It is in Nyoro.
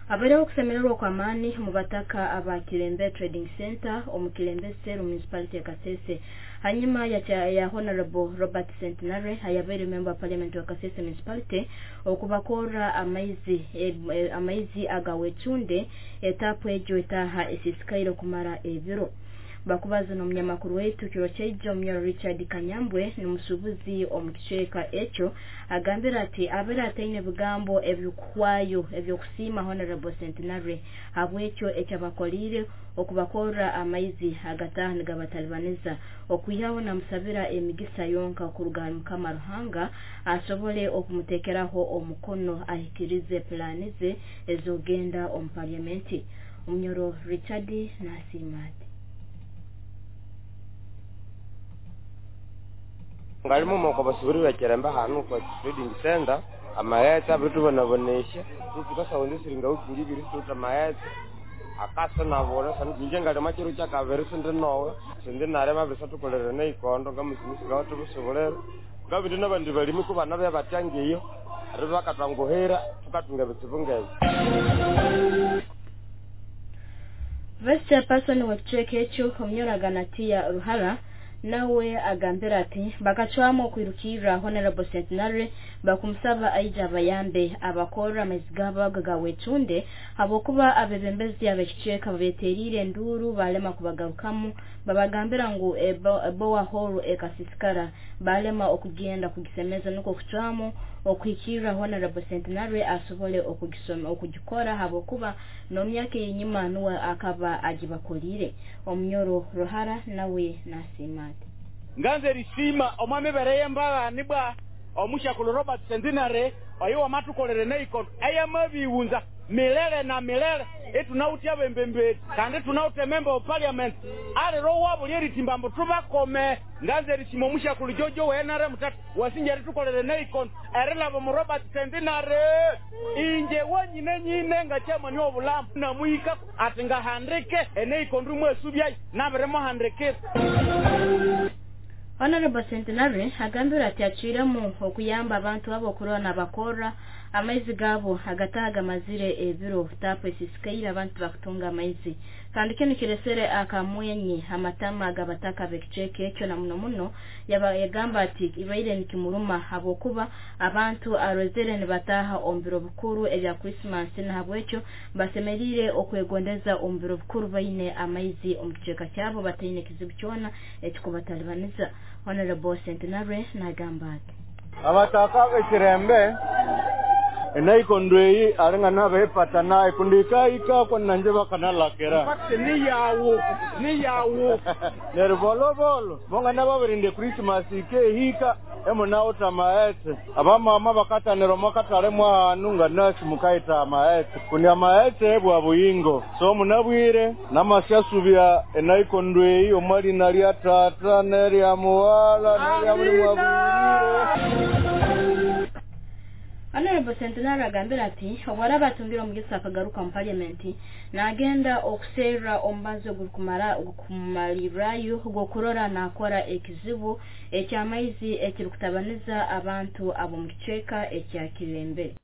Habereho okusemererwa kw'amaani mu bataka aba Kilembe Trading Center omu Kilembe Cell Municipality ya Kasese hanyuma ya Honorable Robert Centenary ayabaire member wa Parliament wa Kasese Municipality okubakorra amaizi agawecunde etapu egyo etaha esisikaire kumara ebiro. Bakubaza n'omunyamakuru waitu kiro kyaijo Omunyoro Richard Kanyambwe n'omusuubuzi omu kicweka ekyo agambira ati abeera ataine bigambo ebikuhwayo ebyokusiima Honorable Centenary habwekyo ekyabakoliire okubakorra amaizi agataha nigabatalibaniza okwihaho namusabira emigisa yonka kuruga ahali Mukama Ruhanga asobole okumuteekeraho omukono ahikirize pulaani ze ez'okugenda omu Paliamenti. Omunyoro Richard nasiima ati. Ngalimu moko basubiri bekerembe hanu kwa trading center amaghetse abiritubonabonesya tukasaghunza siringa wiki ngibiri situwithe amaghetse akasa nabulha inje ngalima kiro kyakabiri sindi nowe sindi nalima abirisa thukolere neikondo ngamusimisi ngawathubusuburira ngabindi nabandi balimi kubanabya batya ngiyo eribya bakatwanguhira thukathunga ebitsibu ngebyo. Vice Chairperson wa kicweka ekyo Omunyoro Aganatiya Ruhara nawe agambira ati bakacwamu okwirukirra Honorable Centenary bakumusaba aija abayambe abakorra amaizi gaabo ago gawecunde habwokuba abebembezi ab'ekicweka babeteriire enduuru balema kubagarukamu babagambira ngu borehole ekasisikara balema okugenda kugisemeza nukwo kucwamu okuhikirra Honorable Centenary asobole okugikora habwokuba n'omyaka eyenyuma nuwe akaba agibakoliire. Omunyoro Ruhara nawe nasiima ati nganze risima omwami bereye mbagani bwa omushakulu Robert Centenary oyo wamatukolere neikondo eyamabiwunza milele na milele etunautia bembembeti kandi tunaute member of parliament alero wabo lyeritimba mbu tubakome. Nganze risima omushakulu Jojo wa NRM tatu wasinja ritukolere neikondo erilabo mu Robert Centenary inje wanyine nyine nga chairman w'obulamu namuyika ati ngahandike eneikondo mwesubyayi nabirimuhandikira. Honorable Centenary agambira ati acwiremu okuyamba abantu abo okurora nabakorra amaizi gaabo agataha gamazire ebiro tapu esisikaire abantu bakutunga amaizi kandi kinu kiresere akamwenye amatama agabataka b'ekicweka ekyo na muno muno yagamba ati ibaire nikimuruma habwokuba abantu arozere nibataha omu biro bikuru ebya Christmas nahabwekyo basemeriire okwegondeza omu biro bikuru baine amaizi omu kicweka kyabo bataine kizibu kyona ekikubatalibaniza. Honorable Centenary nagamba ati abataka b'ekirembe enaikondo eyi alinga nabepata naye kundi ikaika nanje bakanalakira niyawo neryo bolobolo bongana babirinde Christmas ikehika emunawutha amaghetse abamama bakatanira omwakatale mwahanu nga nasi mukayitha amaghetse kundi amaghetse bwa buyingo so munabwire namasyasubya enaikondo eyi omwalina lya tata nerya muwala nerya buli mwabwirire. Honorable Centenary agambira ati obwaraba atungire omugisa akagaruka mu Parliament nagenda okuserra omubazi ogukumalirayo gw'okurora nakora ekizibu eky'amaizi ekirikutabaniza abantu ab'omu kicweka ekya Kilembe.